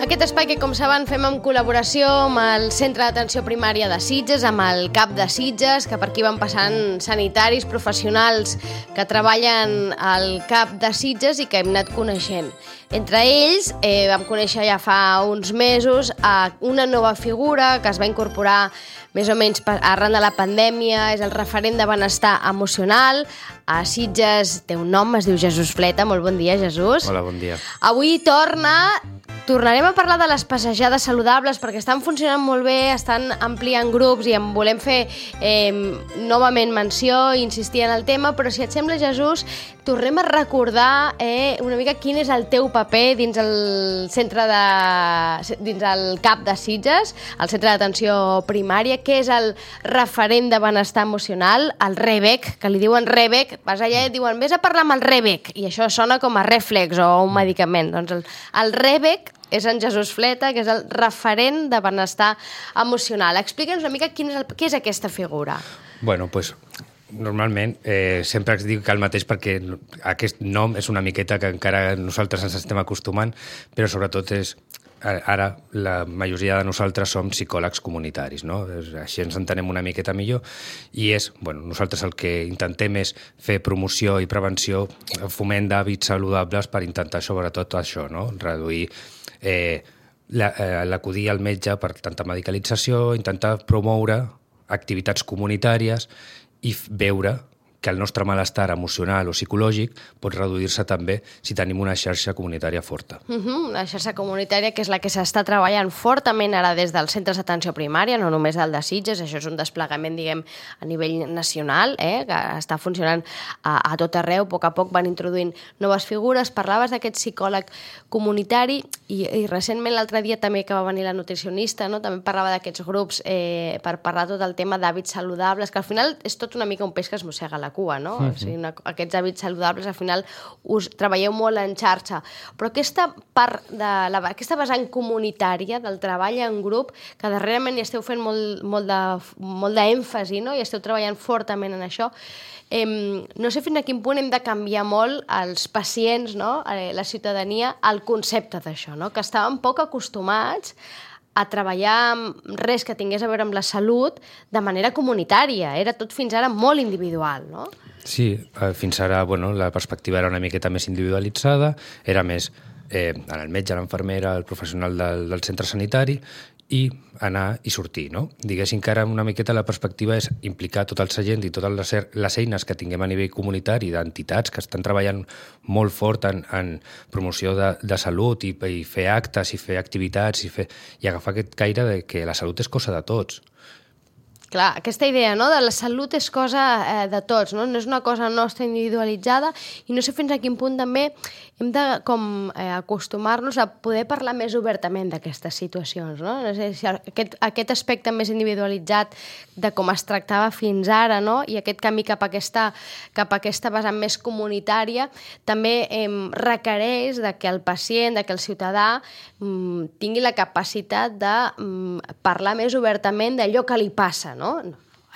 Aquest espai que, com saben, fem en col·laboració amb el Centre d'Atenció Primària de Sitges, amb el CAP de Sitges, que per aquí van passant sanitaris, professionals que treballen al CAP de Sitges i que hem anat coneixent. Entre ells vam conèixer ja fa uns mesos una nova figura que es va incorporar més o menys arran de la pandèmia, és el referent de benestar emocional. A Sitges té un nom, es diu Jesús Fleta. Molt bon dia, Jesús. Hola, bon dia. Avui tornarem a parlar de les passejades saludables perquè estan funcionant molt bé, estan ampliant grups i en volem fer novament menció i insistir en el tema, però si et sembla, Jesús, tornem a recordar una mica quin és el teu paper dins el CAP de Sitges, el Centre d'Atenció Primària, què és el referent de benestar emocional, el REBEC, que li diuen REBEC, vas allà i et diuen vés a parlar amb el REBEC, i això sona com a Reflex o un medicament. Doncs el REBEC és en Jesús Fleta, que és el referent de benestar emocional. Explica'ns una mica què és aquesta figura. Bueno, doncs normalment sempre es diu que el mateix perquè aquest nom és una miqueta que encara nosaltres ens estem acostumant, però sobretot és ara la majoria de nosaltres som psicòlegs comunitaris, no? Així ens entenem una miqueta millor i nosaltres el que intentem és fer promoció i prevenció, foment d'hàbits saludables per intentar sobretot això, no? Reduir l'acudir al metge per tanta medicalització, intentar promoure activitats comunitàries i veure que el nostre malestar emocional o psicològic pot reduir-se també si tenim una xarxa comunitària forta. Una xarxa comunitària que és la que s'està treballant fortament ara des dels centres d'atenció primària, no només el de Sitges, això és un desplegament, diguem, a nivell nacional, que està funcionant a tot arreu, a poc van introduint noves figures. Parlaves d'aquest psicòleg comunitari i recentment l'altre dia també que va venir la nutricionista, no? També parlava d'aquests grups per parlar tot el tema d'hàbits saludables, que al final és tot una mica un peix que es mossega la cua, no? O sigui, aquests hàbits saludables al final us treballeu molt en xarxa, però aquesta part aquesta vessant comunitària del treball en grup, que darrerament hi esteu fent molt d'èmfasi, no? I esteu treballant fortament en això, no sé fins a quin punt hem de canviar molt els pacients, no? La ciutadania, el concepte d'això, no? Que estàvem poc acostumats a treballar amb res que tingués a veure amb la salut de manera comunitària. Era tot fins ara molt individual, no? Sí, fins ara la perspectiva era una miqueta més individualitzada, era més en el metge, l'enfermera, el professional del centre sanitari i anar i sortir, no? Diguéssim que ara una miqueta la perspectiva és implicar tot el seient i totes les eines que tinguem a nivell comunitari d'entitats que estan treballant molt fort en promoció de salut i fer actes i fer activitats i agafar aquest caire de que la salut és cosa de tots. Clar, aquesta idea, no?, de la salut és cosa de tots, no? No és una cosa nostra individualitzada i no sé fins a quin punt també hem de acostumar-nos a poder parlar més obertament d'aquestes situacions, no? No sé si aquest aspecte més individualitzat de com es tractava fins ara, no?, i aquest camí cap a aquesta vessant més comunitària també requereix que el pacient, que el ciutadà tingui la capacitat de parlar més obertament d'allò que li passa, no?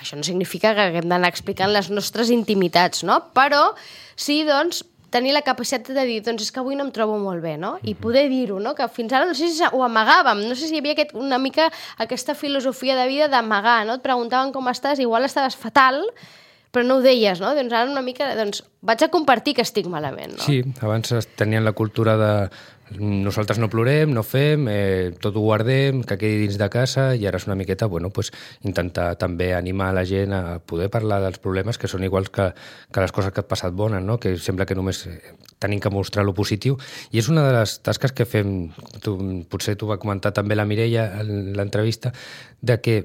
Això no significa que haguem d'anar explicant les nostres intimitats, no? Però sí, doncs, tenir la capacitat de dir, doncs és que avui no em trobo molt bé, no? I poder dir-ho, no? Que fins ara no sé si ho amagàvem, no sé si hi havia una mica aquesta filosofia de vida d'amagar, no? Et preguntaven com estàs, igual estaves fatal, però no ho deies, no? Doncs ara una mica, vaig a compartir que estic malament, no? Sí, abans tenien la cultura de nosaltres no plorem, no fem, tot ho guardem, que quedi dins de casa, i ara és una miqueta, intentar també animar la gent a poder parlar dels problemes que són iguals que les coses que et passat bones, no? Que sembla que només tenim que mostrar lo positiu, i és una de les tasques que fem, potser t'ho va comentar també la Mireia en l'entrevista, de que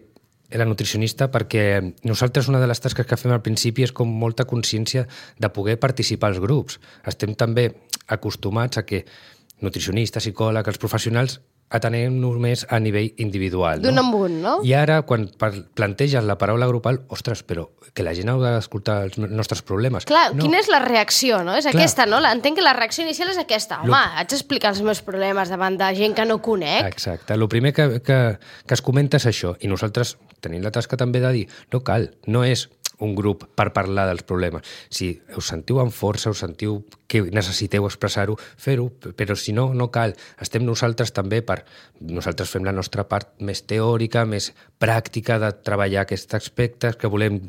la nutricionista, perquè nosaltres una de les tasques que fem al principi és com molta consciència de poder participar als grups. Estem també acostumats a que nutricionistes, psicòlegs, els professionals atenem només a nivell individual. D'un en un, no? I ara, quan planteges la paraula grupal, ostres, però que la gent ha d'escoltar els nostres problemes. Clar, quina és la reacció, no? És aquesta, no? Entenc que la reacció inicial és aquesta. Home, haig d'explicar els meus problemes davant de gent que no conec. Exacte. El primer que es comenta és això. I nosaltres tenim la tasca també de dir, no cal, no és un grup per parlar dels problemes. Si us sentiu amb força, us sentiu que necessiteu expressar-ho, fer-ho, però si no, no cal. Estem nosaltres també nosaltres fem la nostra part més teòrica, més pràctica de treballar aquests aspectes que volem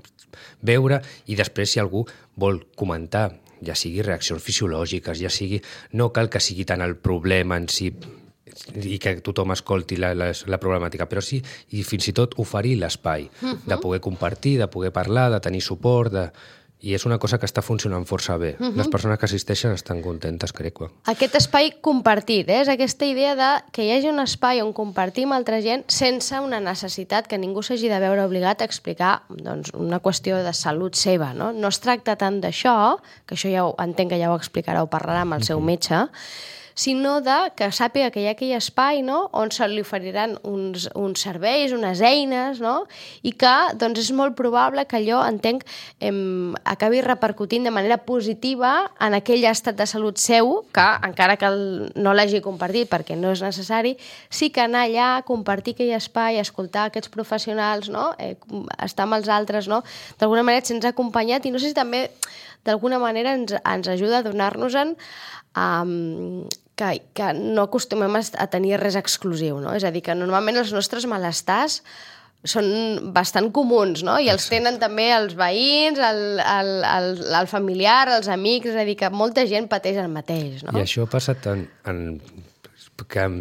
veure, i després si algú vol comentar, ja sigui reaccions fisiològiques, ja sigui... No cal que sigui tant el problema en si i que tothom escolti la problemàtica, però sí, i fins i tot oferir l'espai de poder compartir, de poder parlar, de tenir suport, i és una cosa que està funcionant força bé. Les persones que assisteixen estan contentes, crec. Aquest espai compartit, és aquesta idea de que hi hagi un espai on compartir amb altra gent sense una necessitat que ningú s'hagi de veure obligat a explicar una qüestió de salut seva. No es tracta tant d'això, que això ja entenc que ja ho explicarà o parlarà amb el seu metge, sinó que sàpiga que hi ha aquell espai, no?, on se li oferiran uns serveis, unes eines, no?, i que és molt probable que allò, entenc, acabi repercutint de manera positiva en aquell estat de salut seu, que encara que no l'hagi compartit perquè no és necessari, sí que anar allà, compartir aquell espai, escoltar aquests professionals, no?, estar amb els altres, no?, d'alguna manera et sents acompanyat, i no sé si també d'alguna manera ens ajuda a donar-nos-en que no acostumem a tenir res exclusiu, no? És a dir, que normalment els nostres malestars són bastant comuns, no? I els tenen també els veïns, el familiar, els amics, és a dir, que molta gent pateix el mateix, no? I això passa tant en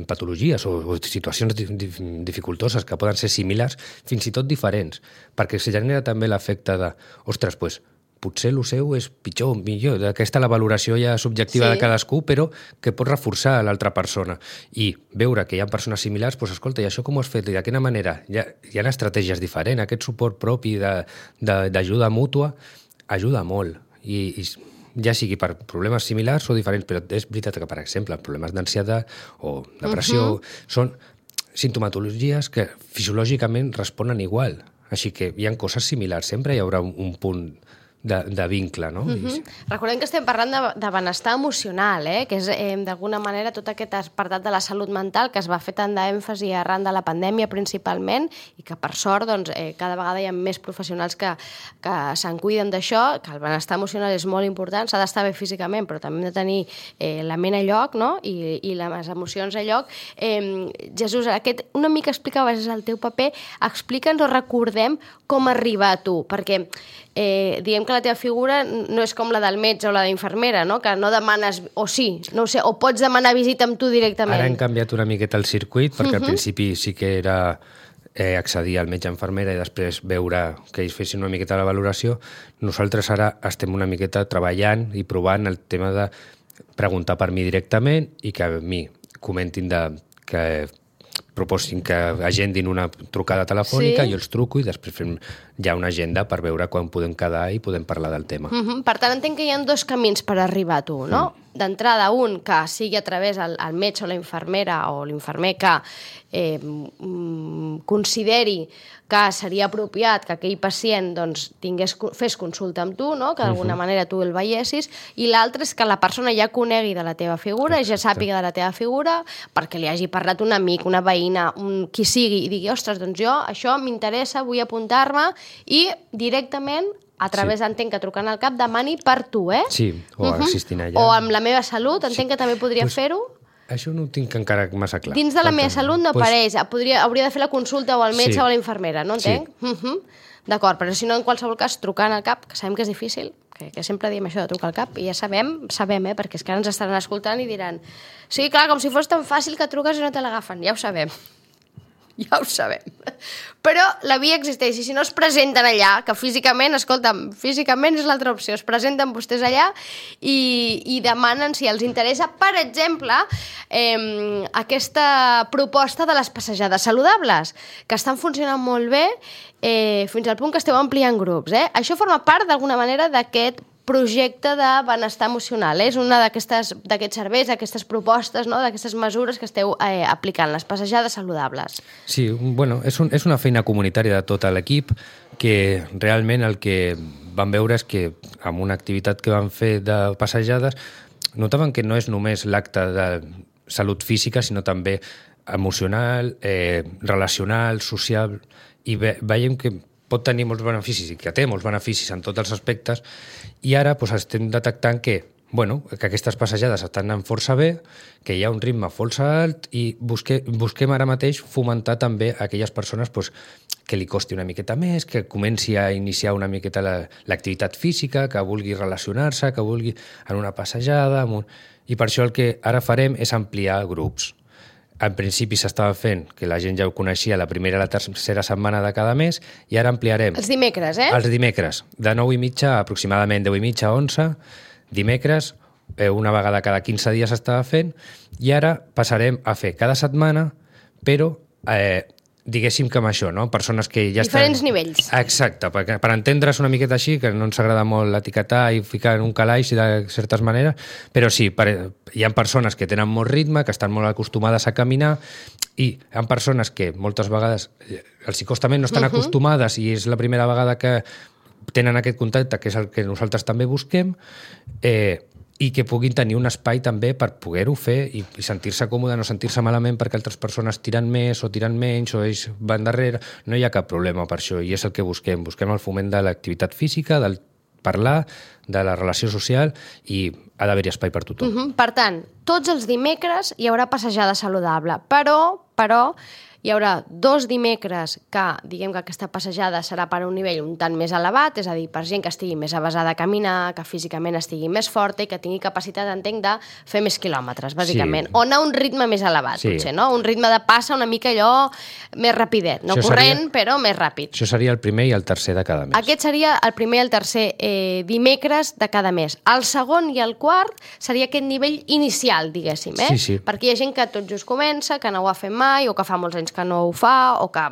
patologies o situacions dificultoses que poden ser similars, fins i tot diferents, perquè se genera també l'efecte de, ostres, doncs, potser el seu és pitjor o millor. Aquesta la valoració ja subjectiva de cadascú, però que pot reforçar l'altra persona. I veure que hi ha persones similars, doncs escolta, i això com ho has fet? I de quina manera? Hi ha estratègies diferents. Aquest suport propi d'ajuda mútua ajuda molt. I ja sigui per problemes similars o diferents, però és veritat que, per exemple, problemes d'ansietat o depressió són sintomatologies que fisiològicament responen igual. Així que hi ha coses similars. Sempre hi haurà un punt de vincle, no? Recordem que estem parlant de benestar emocional, que és d'alguna manera tot aquest apartat de la salut mental que es va fer tant d'èmfasi arran de la pandèmia principalment, i que per sort cada vegada hi ha més professionals que se'n cuiden d'això, que el benestar emocional és molt important, s'ha d'estar bé físicament, però també hem de tenir la ment a lloc, no?, i les emocions a lloc. Jesús, una mica explicaves el teu paper, explica'ns o recordem com arribar a tu, perquè diguem que la teva figura no és com la del metge o la d'infermera, no?, que no demanes, o sí, no ho sé, o pots demanar visita amb tu directament. Ara hem canviat una miqueta el circuit, perquè al principi sí que era accedir al metge-infermera i després veure que ells fessin una miqueta la valoració. Nosaltres ara estem una miqueta treballant i provant el tema de preguntar per mi directament i que a mi comentin que proposin que agendin una trucada telefònica, jo els truco i després fem ja una agenda per veure quan podem quedar i podem parlar del tema. Per tant, entenc que hi ha dos camins per arribar a tu, no? D'entrada, un que sigui a través del metge o la infermera o l'infermer que consideri que seria apropiat que aquell pacient fes consulta amb tu, no?, que d'alguna manera tu el veiessis, i l'altre és que la persona ja conegui de la teva figura, ja sàpiga de la teva figura, perquè li hagi parlat un amic, una veïna, qui sigui, i digui, ostres, doncs jo, això m'interessa, vull apuntar-me, i directament a través, entenc que trucant al CAP, demani per tu, Sí, o assistint allà. O amb la meva salut, entenc que també podria fer-ho. Això no ho tinc encara massa clar. Dins de la meva salut no apareix. Hauria de fer la consulta o al metge o a la infermera, no entenc? D'acord, però si no, en qualsevol cas, trucant al CAP, que sabem que és difícil, que sempre diem això de trucar al CAP, i ja sabem, perquè és que ara ens estaran escoltant i diran sí, clar, com si fos tan fàcil que truques i no te l'agafen. Ja ho sabem. Ja ho sabem. Però la via existeix, i si no es presenten allà, que físicament, escolta'm, físicament és l'altra opció, es presenten vostès allà i demanen si els interessa, per exemple, aquesta proposta de les passejades saludables, que estan funcionant molt bé fins al punt que esteu ampliant grups. Això forma part, d'alguna manera, d'aquest projecte de benestar emocional. És una d'aquests serveis, d'aquestes propostes, no?, d'aquestes mesures que esteu aplicant, les passejades saludables. Sí, bueno, és una feina comunitària de tot l'equip que realment el que vam veure és que amb una activitat que vam fer de passejades notaven que no és només l'acte de salut física, sinó també emocional, relacional, social, i veiem que pot tenir molts beneficis i que té molts beneficis en tots els aspectes, i ara doncs, estem detectant que aquestes passejades estan anant força bé, que hi ha un ritme força alt i busquem ara mateix fomentar també aquelles persones que li costi una miqueta més, que comenci a iniciar una miqueta l'activitat física, que vulgui relacionar-se, que vulgui en una passejada... I per això el que ara farem és ampliar grups. En principi s'estava fent, que la gent ja ho coneixia, la primera i la tercera setmana de cada mes, i ara ampliarem... Els dimecres, eh? Els dimecres, de 9:30 a aproximadament 10:30 a 11, dimecres, una vegada cada 15 dies s'estava fent, i ara passarem a fer cada setmana, però diguéssim que amb això, no? Persones que ja diferents nivells. Exacte, per entendre's una miqueta així, que no ens agrada molt l'etiquetar i ficar en un calaix de certes maneres, però sí, hi ha persones que tenen molt ritme, que estan molt acostumades a caminar, i hi ha persones que moltes vegades els hi costa més, no estan acostumades i és la primera vegada que tenen aquest contacte, que és el que nosaltres també busquem, i que puguin tenir un espai també per poder-ho fer i sentir-se còmode, no sentir-se malament perquè altres persones tiren més o tiren menys o ells van darrere. No hi ha cap problema per això i és el que busquem. Busquem el foment de l'activitat física, del parlar, de la relació social i ha d'haver-hi espai per tothom. Per tant, tots els dimecres hi haurà passejada saludable, però hi haurà 2 dimecres que, diguem que aquesta passejada serà per un nivell un tant més elevat, és a dir, per gent que estigui més avesada a caminar, que físicament estigui més forta i que tingui capacitat, entenc, de fer més quilòmetres, bàsicament. Sí. O anar a un ritme més elevat, potser, no? Un ritme de passa una mica allò més rapidet, no corrent, però més ràpid. Això seria el primer i el tercer de cada mes. Aquest seria el primer i el tercer dimecres de cada mes. El segon i el quart seria aquest nivell inicial, diguéssim, eh? Sí. Perquè hi ha gent que tot just comença, que no ho ha fet mai, o que fa molts anys que no ho fa, o que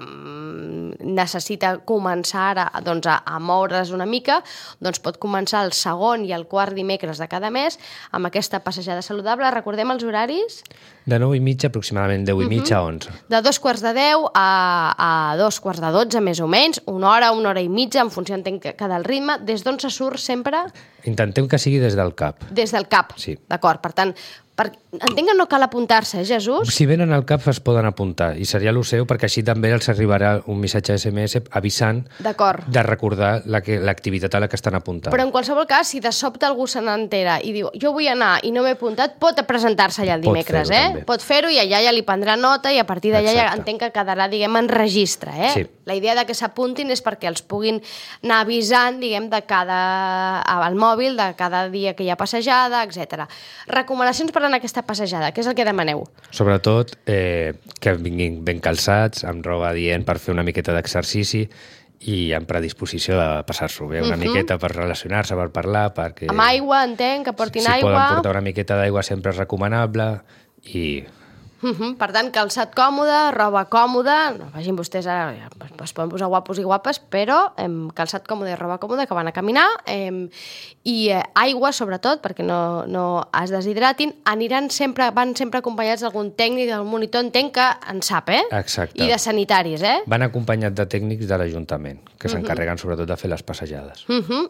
necessita començar ara a moure's una mica, doncs pot començar el segon i el quart dimecres de cada mes amb aquesta passejada saludable. Recordem els horaris? De 9:30 aproximadament, 10:30 a 11. De 2:15 a 2:45, més o menys, una hora i mitja, en funció, entenc, que del ritme. Des d'on se surt sempre? Intentem que sigui des del CAP. Des del CAP, sí. D'acord. Per tant, entenc que no cal apuntar-se, Jesús? Si venen al CAP es poden apuntar i seria el seu perquè així també els arribarà un missatge SMS avisant de recordar l'activitat a la que estan apuntant. Però en qualsevol cas, si de sobte algú se n'entera i diu jo vull anar i no m'he apuntat, pot presentar-se allà el dimecres, Pot fer-ho i allà ja li prendrà nota i a partir d'allà ja entenc que quedarà, diguem, en registre, Sí. La idea de que s'apuntin és perquè els puguin anar avisant, diguem, al mòbil de cada dia que hi ha passejada, etc. Recomanacions per anar a aquesta passejada, què és el que demaneu? Sobretot que vinguin ben calçats, amb roba adient per fer una miqueta d'exercici i amb predisposició de passar-s'ho bé una miqueta per relacionar-se, per parlar, perquè... Amb aigua, entenc, que portin aigua... Si poden portar una miqueta d'aigua sempre és recomanable i... Per tant, calçat còmode, roba còmoda, no vagin vostès ara, es poden posar guapos i guapes, però calçat còmode i roba còmoda que van a caminar, i aigua, sobretot, perquè no es deshidratin, van sempre acompanyats d'algun tècnic, d'algun monitor, entenc que en sap, Exacte. I de sanitaris, Van acompanyats de tècnics de l'Ajuntament, que s'encarreguen sobretot de fer les passejades.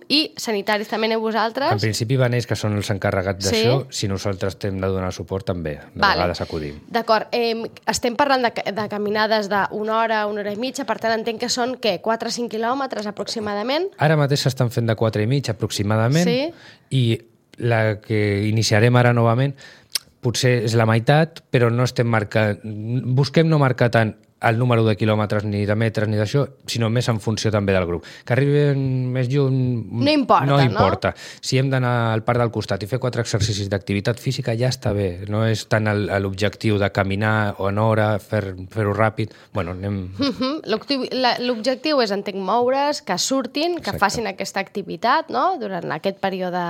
I sanitaris també aneu vosaltres? En principi van ells que són els encarregats d'això, si nosaltres hem de donar suport també, de vegades acudim. D'acord, estem parlant de caminades d'una hora i mitja, per tant entenc que són, 4 o 5 quilòmetres aproximadament? Ara mateix s'estan fent de 4,5 aproximadament, i la que iniciarem ara novament potser és la meitat, però no estem marcant... Busquem no marcar tant el número de quilòmetres, ni de metres, ni d'això, sinó més en funció també del grup. Que arriben més lluny... No importa. Si hem d'anar al parc del costat i fer 4 exercicis d'activitat física, ja està bé. No és tant l'objectiu de caminar o en hora, fer-ho ràpid. Bueno, anem... L'objectiu és, entenc, moure's, que surtin, que facin aquesta activitat, no?, durant aquest període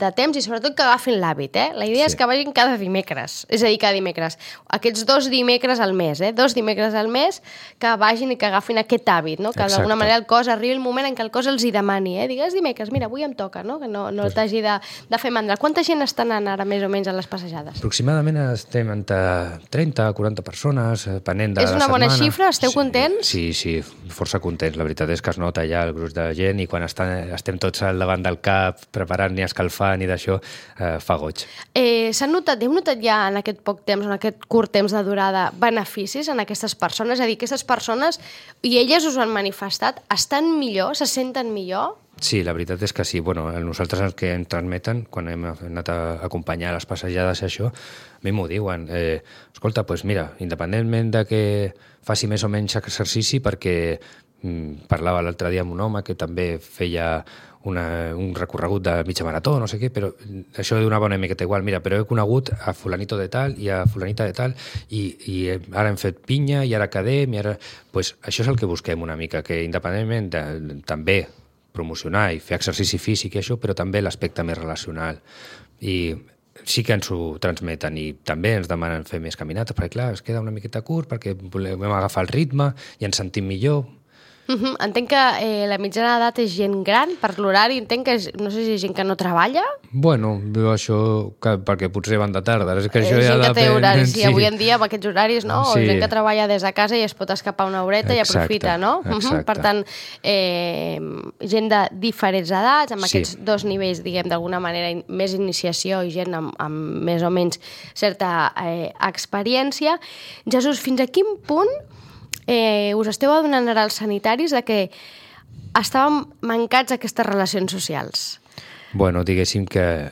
de temps i sobretot que agafin l'hàbit, La idea és que vagin cada dimecres, és a dir, cada dimecres. Aquests 2 dimecres al mes, 2 dimecres al mes, que vagin i que agafin aquest hàbit, no? Que d'alguna manera el cos arribi el moment en què el cos els hi demani, digues dimecres, mira, avui em toca, no? Que no t'hagi de fer mandra. Quanta gent està anant ara més o menys a les passejades? Aproximadament estem entre 30 a 40 persones, depenent de la setmana. És una bona xifra? Esteu contents? Sí, força contents. La veritat és que es nota ja el gruix de gent i quan estem tots al davant del cap preparant ni escalfant ni d'això, fa goig. Heu notat ja en aquest poc temps, en aquest curt temps de durada, beneficis en aquestes persones? és a dir, aquestes persones, i elles us ho han manifestat, estan millor, se senten millor? Sí, la veritat és que sí. Bueno, nosaltres els que ens transmeten, quan hem anat a acompanyar les passejades i això, a mi m'ho diuen. Escolta, doncs mira, independentment de que faci més o menys exercici, perquè parlava l'altre dia amb un home que també feia un recorregut de mitja marató, no sé què, però això donava una miqueta igual. Mira, però he conegut a fulanito de tal i a fulanita de tal i ara hem fet pinya i ara quedem i ara... Pues això és el que busquem una mica, que independentment de també promocionar i fer exercici físic i això, però també l'aspecte més relacional. I sí que ens ho transmeten i també ens demanen fer més caminates, perquè clar, es queda una miqueta curt perquè volem agafar el ritme i ens sentim millor. Entenc que la mitjana d'edat és gent gran, per l'horari entenc que no sé si és gent que no treballa. Bueno, això perquè potser van de tarda. És que això ja gent que té horaris, sí. I avui en dia amb aquests horaris, no? Sí. O gent que treballa des de casa i es pot escapar una horeta i aprofita, no? Exacte. Per tant, gent de diferents edats, amb aquests dos nivells, diguem, d'alguna manera, més iniciació i gent amb més o menys certa experiència. Jesús, fins a quin punt us esteu adonant ara als sanitaris de que estàvem mancats d'aquestes relacions socials? Bueno, diguéssim que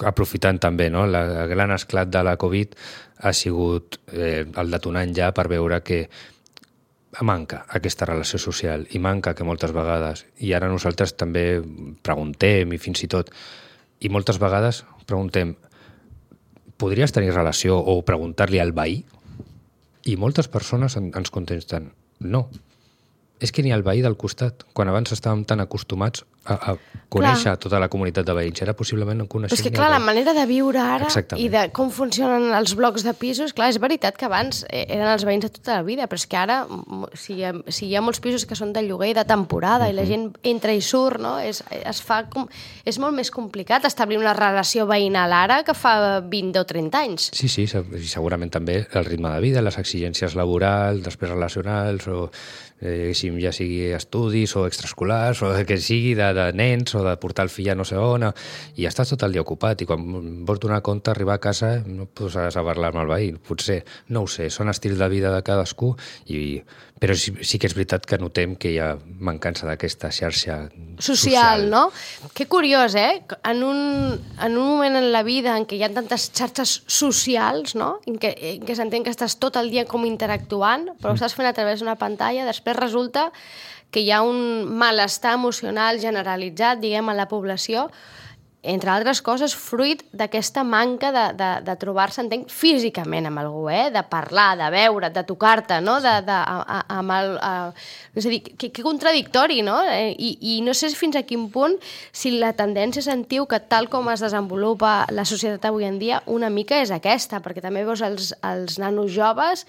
aprofitant també, no? El gran esclat de la Covid ha sigut el detonant ja per veure que manca aquesta relació social i manca que moltes vegades, i ara nosaltres també preguntem i fins i tot, i moltes vegades preguntem, podries tenir relació o preguntar-li al veí? I moltes persones ens contesten, no, és que ni el veí del costat, quan abans estàvem tan acostumats a conèixer tota la comunitat de veïns, ara possiblement no coneixem. Però és que clar, la manera de viure ara i de com funcionen els blocs de pisos, clar, és veritat que abans eren els veïns de tota la vida, però és que ara, si hi ha molts pisos que són de lloguer i de temporada i la gent entra i surt, no? És molt més complicat establir una relació veïnal ara que fa 20 o 30 anys. Sí, segurament també el ritme de vida, les exigències laborals, després relacionals, o ja sigui estudis o extraescolars, o que sigui de nens, o de portar el fill a no sé on, i estàs tot el dia ocupat, i quan vols donar compte, arribar a casa, no podràs parlar amb el veí, potser, no ho sé, són estils de vida de cadascú, però sí que és veritat que notem que hi ha mancança d'aquesta xarxa social, no? Que curiós, En un moment en la vida en què hi ha tantes xarxes socials, no? En què s'entén que estàs tot el dia com interactuant, però ho estàs fent a través d'una pantalla, després resulta que hi ha un malestar emocional generalitzat, diguem, a la població, entre altres coses, fruit d'aquesta manca de trobar-se, entenc, físicament amb algú, de parlar, de veure, de tocar-te, no? És a dir, que contradictori, no? I no sé fins a quin punt, si la tendència sentiu que tal com es desenvolupa la societat avui en dia, una mica és aquesta, perquè també veus els nanos joves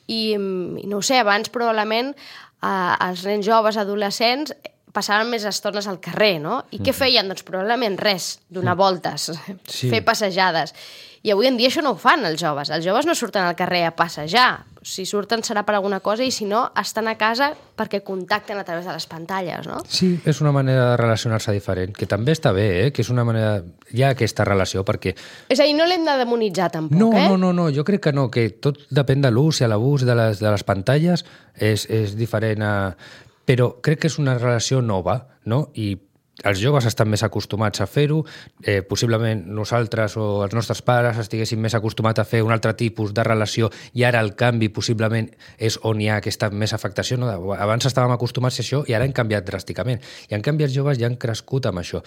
i no ho sé, abans probablement els nens joves, adolescents, passaven més estones al carrer, no? I què feien? Doncs probablement res, donar voltes, fer passejades. I avui en dia això no ho fan els joves. Els joves no surten al carrer a passejar. Si surten serà per alguna cosa i si no, estan a casa perquè contacten a través de les pantalles, no? Sí, és una manera de relacionar-se diferent, que també està bé, que és una manera... Hi ha aquesta relació perquè... És a dir, no l'hem de demonitzar tampoc, No, jo crec que no, que tot depèn de l'ús i a l'abús de les pantalles és diferent a... Però crec que és una relació nova, no? I els joves estan més acostumats a fer-ho, possiblement nosaltres o els nostres pares estiguessin més acostumats a fer un altre tipus de relació i ara el canvi possiblement és on hi ha aquesta més afectació. No? Abans estàvem acostumats a això i ara hem canviat dràsticament. I en canvi els joves ja han crescut amb això.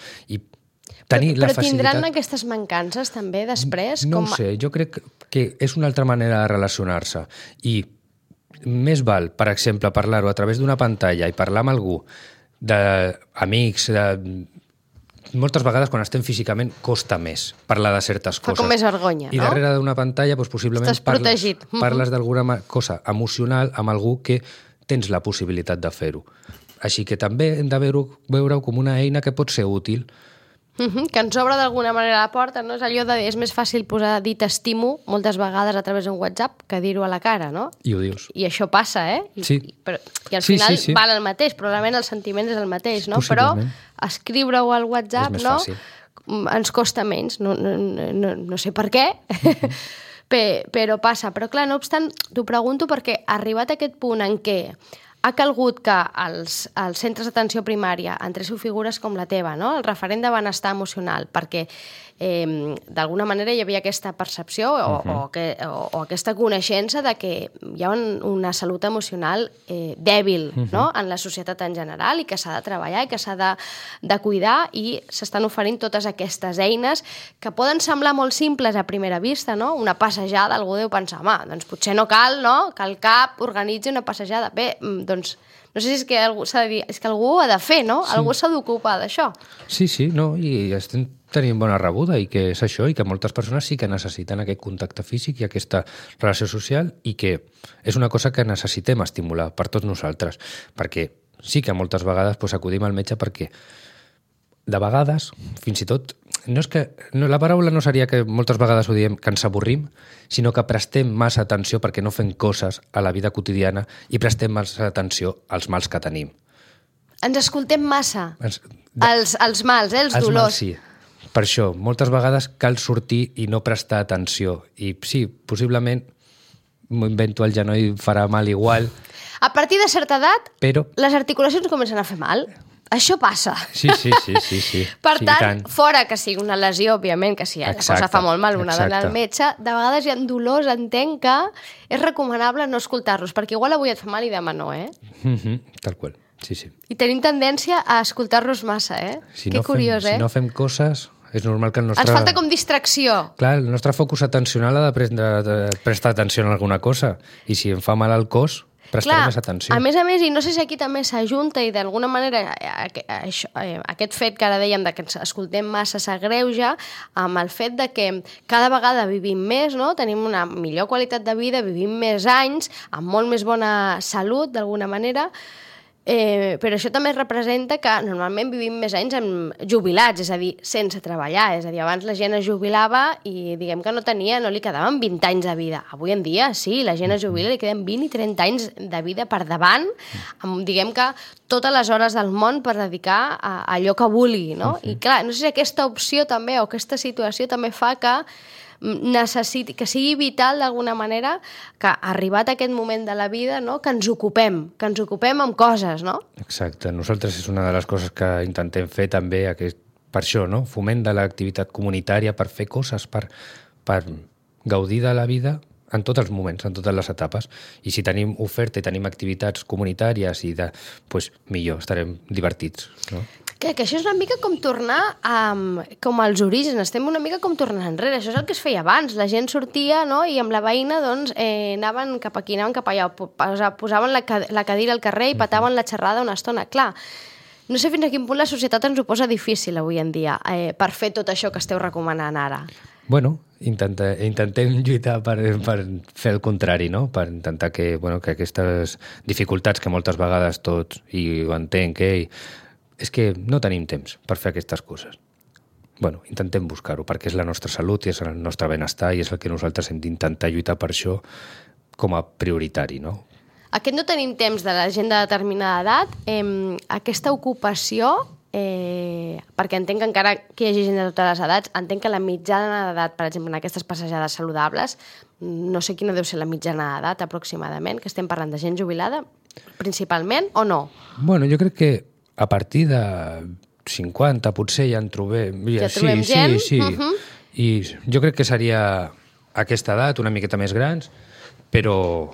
Però tindran aquestes mancances també després? No ho sé, jo crec que és una altra manera de relacionar-se i més val, per exemple, parlar-ho a través d'una pantalla i parlar amb algú, d'amics, moltes vegades quan estem físicament costa més parlar de certes coses. Fa com més vergonya, no? I darrere d'una pantalla possiblement parles d'alguna cosa emocional amb algú que tens la possibilitat de fer-ho. Així que també hem de veure-ho com una eina que pot ser útil. Que ens obre d'alguna manera la porta, no? És allò de... És més fàcil posar dir t'estimo moltes vegades a través d'un WhatsApp que dir-ho a la cara, no? I ho dius. I això passa, Sí. I al final val el mateix, probablement el sentiment és el mateix, no? Però escriure-ho al WhatsApp, no? Ens costa menys, no sé per què, però passa. Però clar, no obstant, t'ho pregunto perquè arribat a aquest punt en què ha calgut que els centres d'atenció primària entréssiu figures com la teva, no? El referent de benestar emocional, perquè d'alguna manera hi havia aquesta percepció o aquesta coneixença de que hi ha una salut emocional dèbil, no? En la societat en general, i que s'ha de treballar i que s'ha de cuidar, i s'estan oferint totes aquestes eines que poden semblar molt simples a primera vista, no? Una passejada, algú deu pensar, home, doncs potser no cal, no?, que el CAP organitzi una passejada. Bé, doncs no sé si és que algú s'ha de dir, és que algú ho ha de fer, no? Sí. Algú s'ha d'ocupar d'això. Sí, no, i estem tenint bona rebuda, i que és això, i que moltes persones sí que necessiten aquest contacte físic i aquesta relació social, i que és una cosa que necessitem estimular per tots nosaltres, perquè sí que moltes vegades acudim al metge perquè de vegades, fins i tot, la paraula no seria que moltes vegades ho diem que ens avorrim, sinó que prestem massa atenció perquè no fem coses a la vida quotidiana i prestem massa atenció als mals que tenim. Ens escoltem massa, els mals, els dolors. Mals, sí. Per això, moltes vegades cal sortir i no prestar atenció. I sí, possiblement m'ho invento, el genoll farà mal igual. A partir de certa edat, però les articulacions comencen a fer mal. Això passa. Sí. Per tant, fora que sigui una lesió, òbviament, que si la cosa fa molt mal, una d'anar al metge, de vegades hi ha dolors, entenc que és recomanable no escoltar-los, perquè igual avui et fa mal i demà no, Tal qual, sí. I tenim tendència a escoltar-los massa, Que curiós, Si no fem coses, és normal que el nostre... Ens falta com distracció. Clar, el nostre focus atencional ha de prestar atenció en alguna cosa, i si em fa mal al cos, prestaré més atenció. A més, i no sé si aquí també s'ajunta i d'alguna manera aquest fet que ara dèiem de que ens escoltem massa s'agreuja amb el fet de que cada vegada vivim més, no? Tenim una millor qualitat de vida, vivim més anys, amb molt més bona salut, d'alguna manera, però això també representa que normalment vivim més anys jubilats, és a dir, sense treballar. És a dir, abans la gent es jubilava i diguem que no li quedaven 20 anys de vida. Avui en dia, sí, la gent es jubila i li queden 20 i 30 anys de vida per davant, amb, diguem que, totes les hores del món per dedicar a allò que vulgui, no? I clar, no sé si aquesta opció també, o aquesta situació també fa que que sigui vital d'alguna manera que arribat a aquest moment de la vida, no, que ens ocupem amb coses, no? Exacte. Nosaltres és una de les coses que intentem fer també, per això, no? Foment de l'activitat comunitària, per fer coses, per gaudir de la vida en tots els moments, en totes les etapes. I si tenim oferta i tenim activitats comunitàries, millor, estarem divertits, no? Que això és una mica com tornar com als orígens, estem una mica com tornant enrere, això és el que es feia abans, la gent sortia, no?, i amb la veïna anaven cap aquí, anaven cap allà, posaven la cadira al carrer i pataven la xerrada una estona. Clar, no sé fins a quin punt la societat ens ho posa difícil avui en dia per fer tot això que esteu recomanant ara. Bueno, intentem lluitar per fer el contrari, no? Per intentar que aquestes dificultats que moltes vegades tots, i ho entenc, és que no tenim temps per fer aquestes coses. Intentem buscar-ho, perquè és la nostra salut i és el nostre benestar i és el que nosaltres hem d'intentar lluitar per això com a prioritari, no? Aquest no tenim temps de la gent de determinada edat, aquesta ocupació, perquè entenc que encara que hi hagi gent de totes les edats, entenc que la mitjana d'edat, per exemple, en aquestes passejades saludables, no sé quina deu ser la mitjana d'edat aproximadament, que estem parlant de gent jubilada, principalment, o no? Bueno, jo crec que a partir de 50 potser ja en trobem... Ja trobem gent? Sí. I jo crec que seria aquesta edat, una miqueta més grans, però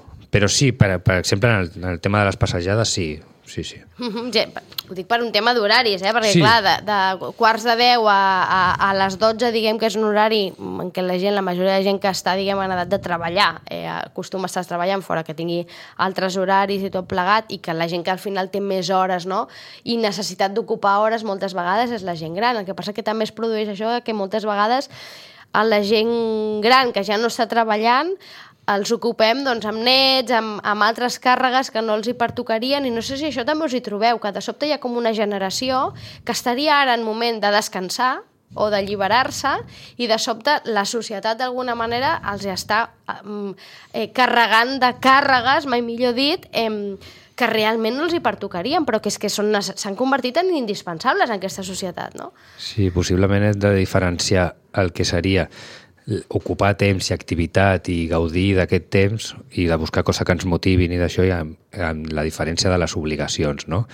sí, per exemple, en el tema de les passejades, sí. Ho dic per un tema d'horaris, perquè clar, de quarts de 10 a les 12, diguem que és un horari en què la majoria de gent que està, diguem, en edat de treballar, acostuma a estar treballant fora, que tingui altres horaris i tot plegat, i que la gent que al final té més hores, no?, i necessitat d'ocupar hores moltes vegades és la gent gran. El que passa que també es produeix això que moltes vegades a la gent gran que ja no està treballant els ocupem amb nets, amb altres càrregues que no els hi pertocarien, i no sé si això també us hi trobeu, que de sobte hi ha com una generació que estaria ara en moment de descansar o d'alliberar-se, i de sobte la societat d'alguna manera els està carregant de càrregues, mai millor dit, que realment no els hi pertocarien, però que és que s'han convertit en indispensables en aquesta societat, no? Sí, possiblement hem de diferenciar el que seria ocupar temps i activitat i gaudir d'aquest temps i de buscar coses que ens motivin i d'això, i amb la diferència de les obligacions, no?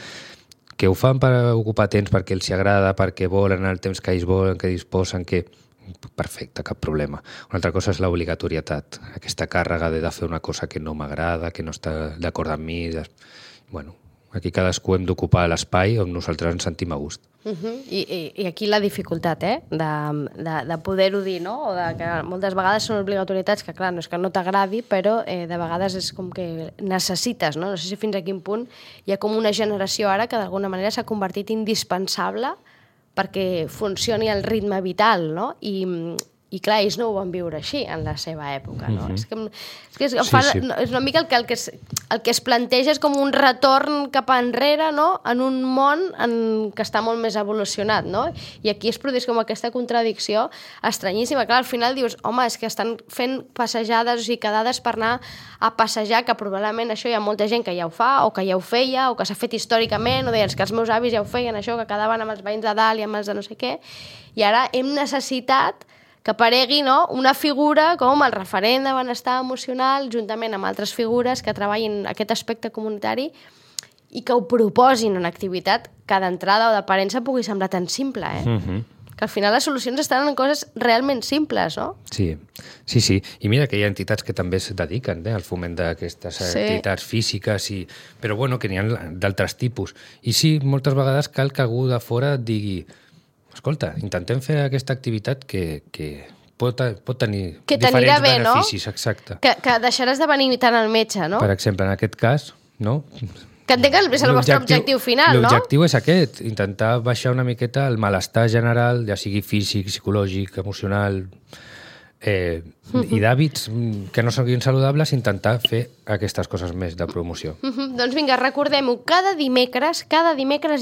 Que ho fan per ocupar temps perquè els agrada, perquè volen el temps que ells volen, que disposen, que... Perfecte, cap problema. Una altra cosa és l'obligatorietat, aquesta càrrega de fer una cosa que no m'agrada, que no està d'acord amb mi. Bueno, aquí cadascú hem d'ocupar l'espai on nosaltres ens sentim a gust. I aquí la dificultat, de poder-ho dir, no? O de que moltes vegades són obligatorietats que, clar, no és que no t'agradi, però de vegades és com que necessites, no? No sé si fins a quin punt hi ha com una generació ara que d'alguna manera s'ha convertit indispensable perquè funcioni el ritme vital, no? I clar, ells no ho van viure així en la seva època, no? És una mica el que es planteja és com un retorn cap enrere, no? En un món que està molt més evolucionat, no? I aquí es produeix com aquesta contradicció estranyíssima. Clar, al final dius, home, és que estan fent passejades, o sigui, quedades per anar a passejar, que probablement això hi ha molta gent que ja ho fa, o que ja ho feia, o que s'ha fet històricament, o deien que els meus avis ja ho feien, això, que quedaven amb els veïns de dalt i amb els de no sé què, i ara hem necessitat que aparegui, no, una figura com el referent de benestar emocional juntament amb altres figures que treballin aquest aspecte comunitari i que ho proposin una activitat que d'entrada o d'aparença pugui semblar tan simple, Que al final les solucions estan en coses realment simples, no? Sí. I mira que hi ha entitats que també es dediquen al foment d'aquestes activitats físiques, però bueno, que n'hi ha d'altres tipus. I sí, moltes vegades cal que algú de fora et digui: escolta, intentem fer aquesta activitat que pot tenir que diferents bé, beneficis, no? Exacte. Que deixaràs de venir tant al metge, no? Per exemple, en aquest cas, no? Que entenc que és el vostre objectiu final, no? L'objectiu és aquest, intentar baixar una miqueta el malestar general, ja sigui físic, psicològic, emocional, i d'hàbits que no siguin saludables, intentar fer aquestes coses més de promoció. Doncs vinga, recordem-ho, cada dimecres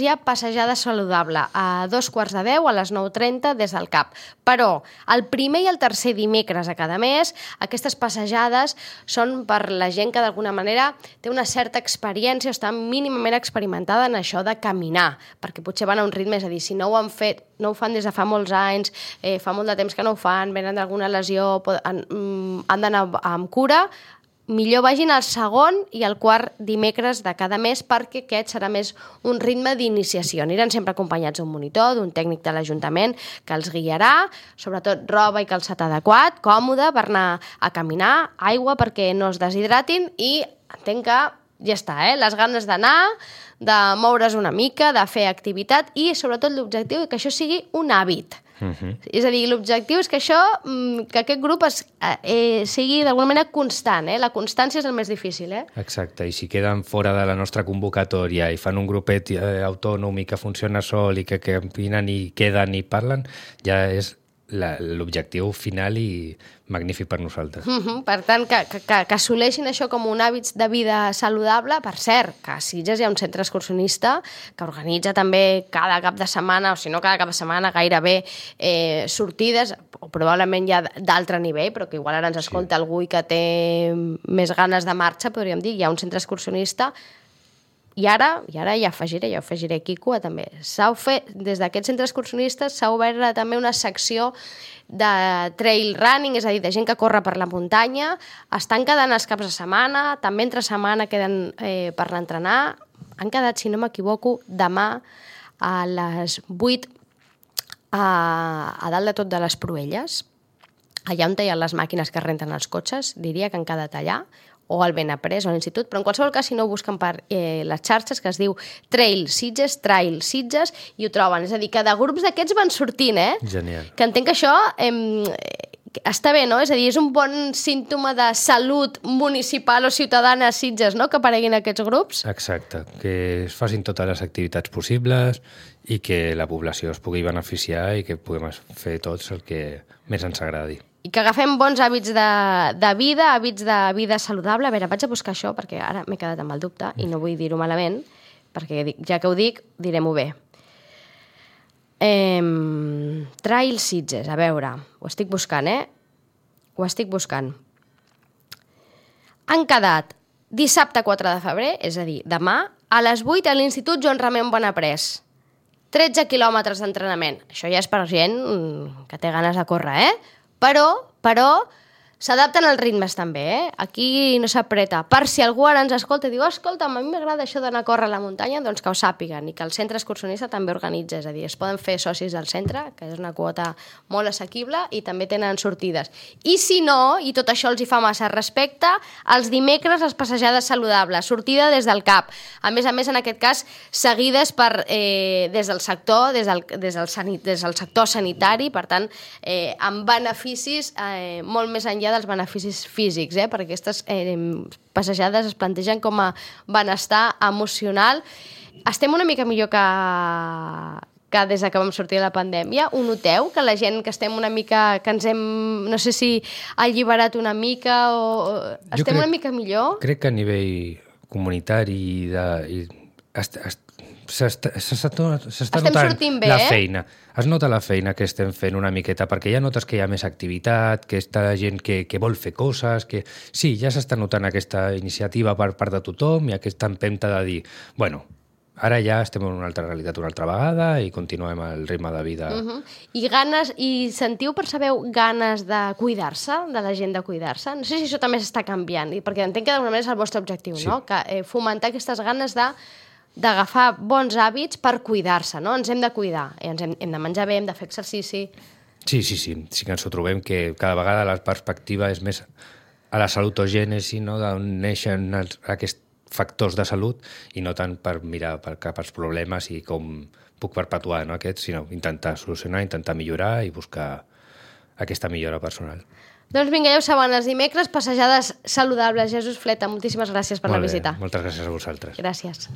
hi ha passejada saludable a 9:45 a les 9:30 des del CAP. Però el primer i el tercer dimecres a cada mes, aquestes passejades són per la gent que d'alguna manera té una certa experiència o està mínimament experimentada en això de caminar, perquè potser van a un ritme, és a dir, si no ho han fet, no ho fan des de fa molts anys, fa molt de temps que no ho fan, venen d'alguna lesió, han d'anar amb cura, millor vagin al segon i al quart dimecres de cada mes, perquè aquest serà més un ritme d'iniciació. Aniran sempre acompanyats d'un monitor, d'un tècnic de l'Ajuntament que els guiarà, sobretot roba i calçat adequat, còmode per anar a caminar, aigua perquè no es deshidratin i entenc que ja està, les ganes d'anar, de moure's una mica, de fer activitat i sobretot l'objectiu que això sigui un hàbit. És a dir, l'objectiu és que això, que aquest grup sigui d'alguna manera constant, La constància és el més difícil, Exacte, i si queden fora de la nostra convocatòria i fan un grupet autònom i que funciona sol i que caminen i queden i parlen, ja és l'objectiu final i magnífic per nosaltres. Per tant, que assoleixin això com un hàbit de vida saludable. Per cert, que a Sitges hi ha un centre excursionista que organitza també cada cap de setmana, o si no cada cap de setmana, gairebé sortides, o probablement ja d'altre nivell, però que igual ara ens escolta algú i que té més ganes de marxa, podríem dir. Hi ha un centre excursionista. I ara ja afegiré Quico, també. Des d'aquests centres excursionistes s'ha obert també una secció de trail running, és a dir, de gent que corre per la muntanya. Estan quedant els caps de setmana, també entre setmana queden per l'entrenar. Han quedat, si no m'equivoco, demà a les 8 a dalt de tot de les Proelles, allà on hi ha les màquines que renten els cotxes, diria que han quedat allà, o al Benaprés o a l'Institut, però en qualsevol cas si no ho busquen per les xarxes, que es diu Trail Sitges, i ho troben. És a dir, que de grups d'aquests van sortint, Genial. Que entenc que això està bé, no? És a dir, és un bon símptoma de salut municipal o ciutadana a Sitges, no?, que apareguin aquests grups. Exacte, que es facin totes les activitats possibles i que la població es pugui beneficiar i que puguem fer tots el que més ens agradi. I que agafem bons hàbits de vida saludable. A veure, vaig a buscar això perquè ara m'he quedat amb el dubte i no vull dir-ho malament, perquè ja que ho dic, direm-ho bé. Trail Sitges, a veure, ho estic buscant, Ho estic buscant. Han quedat dissabte 4 de febrer, és a dir, demà, a les 8 a l'Institut Joan Ramon Benaprés. 13 quilòmetres d'entrenament. Això ja és per gent que té ganes de córrer, Però s'adapten als ritmes també, Aquí no s'apreta. Per si algú ara ens escolta i diu escolta, a mi m'agrada això d'anar a córrer a la muntanya, doncs que ho sàpiguen i que el centre excursionista també organitza, és a dir, es poden fer socis del centre, que és una quota molt assequible i també tenen sortides. I si no, i tot això els hi fa massa respecte, els dimecres les passejades saludables, sortida des del CAP. A més, en aquest cas, seguides des del sector sector sanitari, per tant, amb beneficis molt més enllà dels beneficis físics, perquè aquestes passejades es plantegen com a benestar emocional. Estem una mica millor que des que vam sortir de la pandèmia. Ho noteu? Que la gent que estem una mica... que ens hem, no sé si alliberat una mica o... Estem una mica millor? Crec que a nivell comunitari s'està notant la feina. Es nota la feina que estem fent una miqueta, perquè ja notes que hi ha més activitat, que està gent que vol fer coses, que sí, ja s'està notant aquesta iniciativa per part de tothom i aquesta empenta de dir, bueno, ara ja estem en una altra realitat una altra vegada i continuem el ritme de vida. I percebeu ganes de cuidar-se, de la gent de cuidar-se? No sé si això també s'està canviant, perquè entenc que d'alguna manera és el vostre objectiu, no? Que fomentar aquestes ganes d'agafar bons hàbits per cuidar-se, no? Ens hem de cuidar, hem de menjar bé, hem de fer exercici... Sí que ens ho trobem, que cada vegada la perspectiva és més a la salutogènesi, no? D'on neixen aquests factors de salut i no tant per mirar cap als problemes i com puc perpetuar aquests, sinó intentar solucionar, intentar millorar i buscar aquesta millora personal. Doncs vinga, ja ho saben, els dimecres, passejades saludables. Jesús Fleta, moltíssimes gràcies per la visita. Moltes gràcies a vosaltres. Gràcies.